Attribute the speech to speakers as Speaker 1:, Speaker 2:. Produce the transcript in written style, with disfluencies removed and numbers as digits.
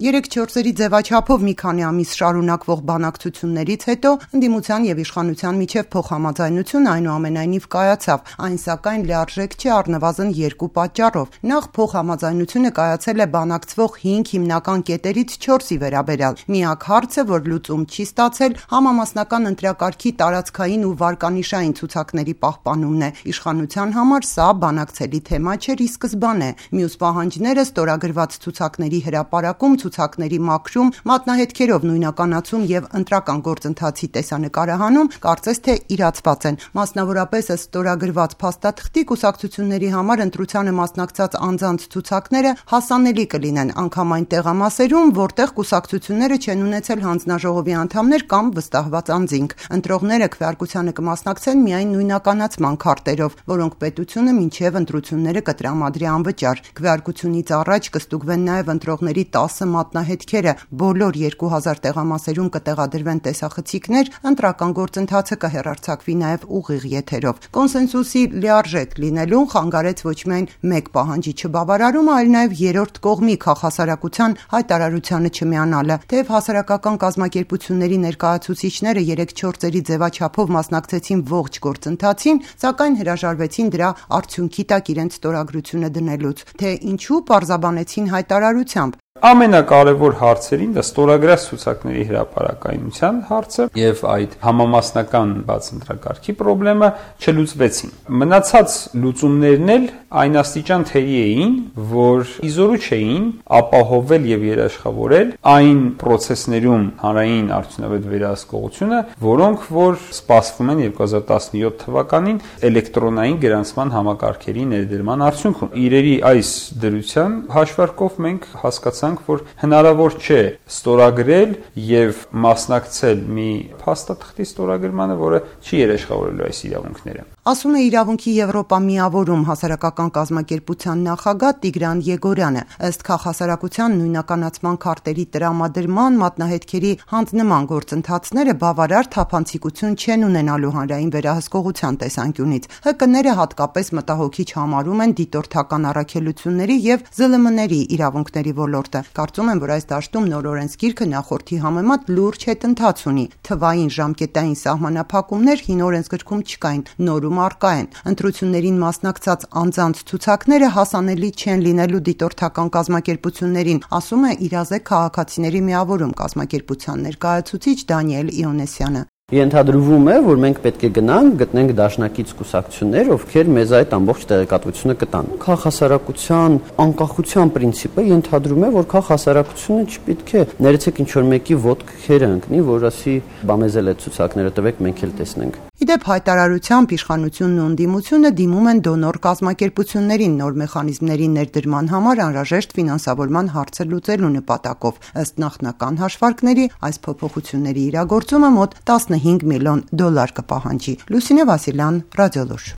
Speaker 1: 3-4-երի ձևաչափով մի քանի ամիս շարունակվող բանակցություններից հետո ընդդիմության եւ իշխանության միջև փոխհամաձայնություն այնուամենայնիվ կայացավ, այն սակայն լիարժեք չի առնվազն 2 պատճառով։ Նախ փոխհամաձայնությունը կայացել է բանակցվող 5 հիմնական կետերից 4-ի վերաբերյալ։ Միակ հարցը, որ լուծում չի ստացել, համամասնական ընտրակարգի տարածքային ու վարկանիշային ցուցակների պահպանումն է։ Իշխանության համար սա բանակցելի թեմա չէր ի սկզբանե։ Մյուս պահանջները ստորագրված ցուցակների հրապարակում, ցուցակների մաքրում, մատնահետքերով նույնականացում եւ ընտրական գործընթացի տեսանկարահանում կարծես թե իրացված են։ Մասնավորապես ըստ ստորագրված փաստաթղթի կուսակցությունների համար ընտրությանը մասնակցած անձանց ցուցակները հասանելի կլինեն անգամ այն տեղամասերում, որտեղ կուսակցությունները չեն ունեցել հանձնաժողովի անդամներ կամ վստահված անձինք։ Ընտրողները քվեարկությանը կմասնակցեն միայն նույնականացման քարտերով, որոնք պետությունը մինչև ընտրությունները կտրամադրի անվճար։ Քվեարկությունից առաջ կստուգվեն նաեւ ընտրողների 10 մատնահետքերը, բոլոր 2000 տեղամասերում կտեղադրվեն տեսախցիկներ, ընտրական գործընթացը կհեռարձակվի նաև ուղիղ եթերով։ Կոնսենսուսի լիարժեք լինելուն խանգարեց ոչ միայն մեկ պահանջի չբավարարումը, այլ նաև երրորդ կողմի քաղաքասարակության հայտարարությանը չմիանալը։ Թեև հասարակական կազմակերպությունների ներկայացուցիչները 3-4-երի ձևաչափով մասնակցեցին ողջ գործընթացին, սակայն հրաժարվեցին դրա արդյունքի տակ իրենց ստորագրությունը դնելուց։ Թե ինչու, պարզաբանեցին հայտարարությամբ.
Speaker 2: Ամենակարևոր հարցերին դա ստորագրած ցուցակների հրապարակայնության հարցը եւ այդ համամասնական բաց ընտրակարգի խնդրը չլուծվեցին։ Մնացած լուծումներն էլ այն աստիճան թերի էին, որ իզորու չէին ապահովել եւ երաշխավորել այն process-ներում հանրային արդյունավետ վերահսկողությունը, որոնք որ սպասվում են 2017 թվականին էլեկտրոնային գրանցման համակարգերի ներդրման արդյունքում։ Իրերի այս դրության հաշվարկով մենք հասկացանք, որ հնարավոր չէ ստորագրել եւ մասնակցել մի փաստաթղթի ստորագրմանը, որը չի երաշխավորելու այս իրավունքները։
Speaker 1: Ասում է Իրավունքի Եվրոպա միավորում հասարակական կազմակերպության նախագահ Տիգրան Եգորյանը։ Ըստ քաղաքասարակության նույնականացման քարտերի տրամադրման, մատնահետքերի հանձնման գործընթացները բավարար թափանցիկություն չեն ունենալու հանրային վերահսկողության տեսանկյունից։ ՀԿ-ները հատկապես մտահոգիչ համարում են դիտորդական առաքելությունների եւ ԶԼՄ-ների իրավունքների ոլորտը։ Կարծում եմ, որ այս դաշտում նոր օրենսգիրքը նախորդի համեմատ լուրջ հետընթաց ունի։ Թվային ժամկետային սահմանափակումներ հին օրենսգրքում չկային, նորում առկա են։ Ընտրություններին մասնակցած անձանց ցուցակները հասանելի չեն լինելու դիտորդական կազմակերպություններին, ասում է Իրազեկ քաղաքացիների միավորում կազմակերպության ներկայացուցիչ Դանիել Իոնեսյանը։
Speaker 3: Ենթադրվում է, որ մենք պետք է գնանք, գտնենք դաշնակից կուսակցություններ, ովքեր մեզ այդ ամբողջ տեղեկատվությունը կտան։ Քաղաքասարակության անկախության պրինցիպը ենթադրում է, որ քաղաքասարակությունը չպետք է ներեցեք ինչ-որ մեկի ոտքերը ընկնի, որ ասի մեզ էլ այդ ցուցակները տվեք, մենք էլ տեսնենք։
Speaker 1: Իդեպ հայտարարությամբ իշխանությունն ու ընդդիմությունը դիմում են դոնոր կազմակերպություններին նոր մեխանիզմների ներդրման համար անհրաժեշտ ֆինանսավորման հարցը լուծելու նպատակով։ Ըստ նախնական հաշվարկների, այս փոփոխությունների իրագործումը մոտ $15 միլիոն կպահանջի։ Լուսինե Վասիլյան, Ռադիոլուր։